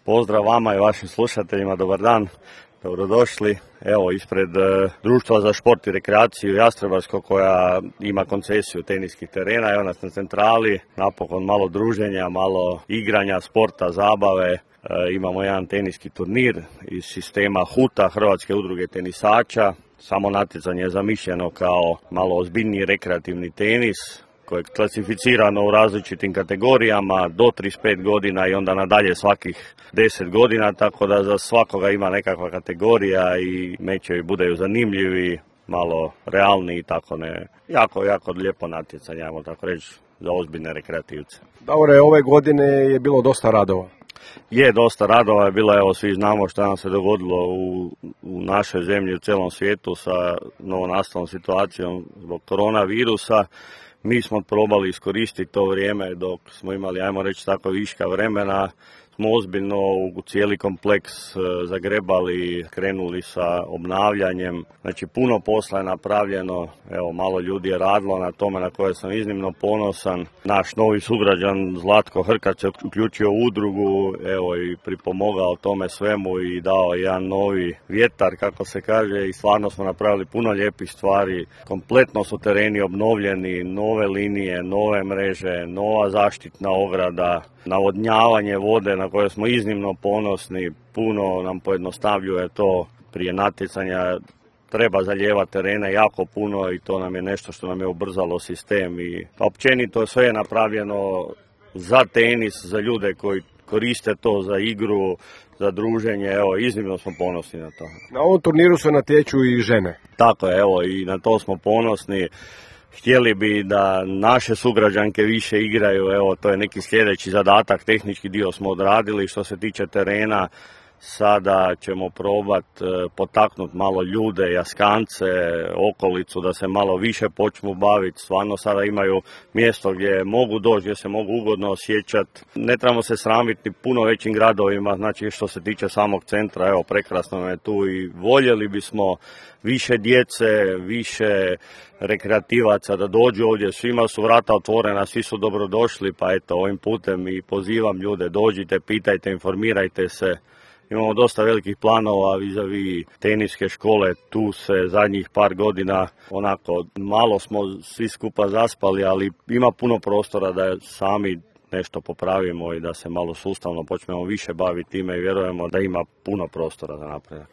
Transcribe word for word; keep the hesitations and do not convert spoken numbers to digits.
Pozdrav vama i vašim slušateljima, dobar dan, dobrodošli. Evo, ispred e, Društva za šport i rekreaciju Jastrebarsko koja ima koncesiju teniskih terena, evo nas na centrali, napokon malo druženja, malo igranja, sporta, zabave. E, imamo jedan teniski turnir iz sistema huta, Hrvatske udruge tenisača. Samo natjecanje je zamišljeno kao malo ozbiljniji rekreativni tenis, koje je klasificirano u različitim kategorijama do trideset pet godina i onda nadalje svakih deset godina, tako da za svakoga ima nekakva kategorija i mečevi budaju zanimljivi, malo realni i tako ne. Jako, jako lijepo natjecanje, ajmo tako reći, za ozbiljne rekreativce. Davore, ove godine je bilo dosta radova. Je, dosta radova je bilo, evo svi znamo što nam se dogodilo u, u našoj zemlji, u cijelom svijetu sa novonastalom situacijom zbog koronavirusa. Mi smo probali iskoristiti to vrijeme dok smo imali, ajmo reći tako, viška vremena. Smo ozbiljno u cijeli kompleks zagrebali, krenuli sa obnavljanjem. Znači puno posla je napravljeno, evo malo ljudi je radilo na tome na koje sam iznimno ponosan. Naš novi sugrađan Zlatko Hrkac se uključio u udrugu, evo i pripomogao tome svemu i dao jedan novi vjetar, kako se kaže, i stvarno smo napravili puno lijepih stvari. Kompletno su tereni obnovljeni, nove linije, nove mreže, nova zaštitna ograda, navodnjavanje vode na koje smo iznimno ponosni, puno nam pojednostavljuje to prije natjecanja. Treba zalijevati terene jako puno i to nam je nešto što nam je ubrzalo sistem i općenito sve je napravljeno za tenis, za ljude koji koriste to za igru, za druženje, evo iznimno smo ponosni na to. Na ovom turniru se natječu i žene. Tako je, evo i na to smo ponosni. Htjeli bi da naše sugrađanke više igraju, evo to je neki sljedeći zadatak, tehnički dio smo odradili. Što se tiče terena, sada ćemo probati potaknuti malo ljude, Jaskance, okolicu da se malo više počnu baviti. Stvarno sada imaju mjesto gdje mogu doći, gdje se mogu ugodno osjećati. Ne trebamo se sramiti puno većim gradovima, znači što se tiče samog centra, evo prekrasno je tu i voljeli bismo više djece, više rekreativaca da dođu ovdje, svima su vrata otvorena, svi su dobrodošli, pa eto ovim putem i pozivam ljude, dođite, pitajte, informirajte se. Imamo dosta velikih planova vis-a-vis teniske škole, tu se zadnjih par godina onako malo smo svi skupa zaspali, ali ima puno prostora da sami nešto popravimo i da se malo sustavno počnemo više baviti time i vjerujemo da ima puno prostora za napredak.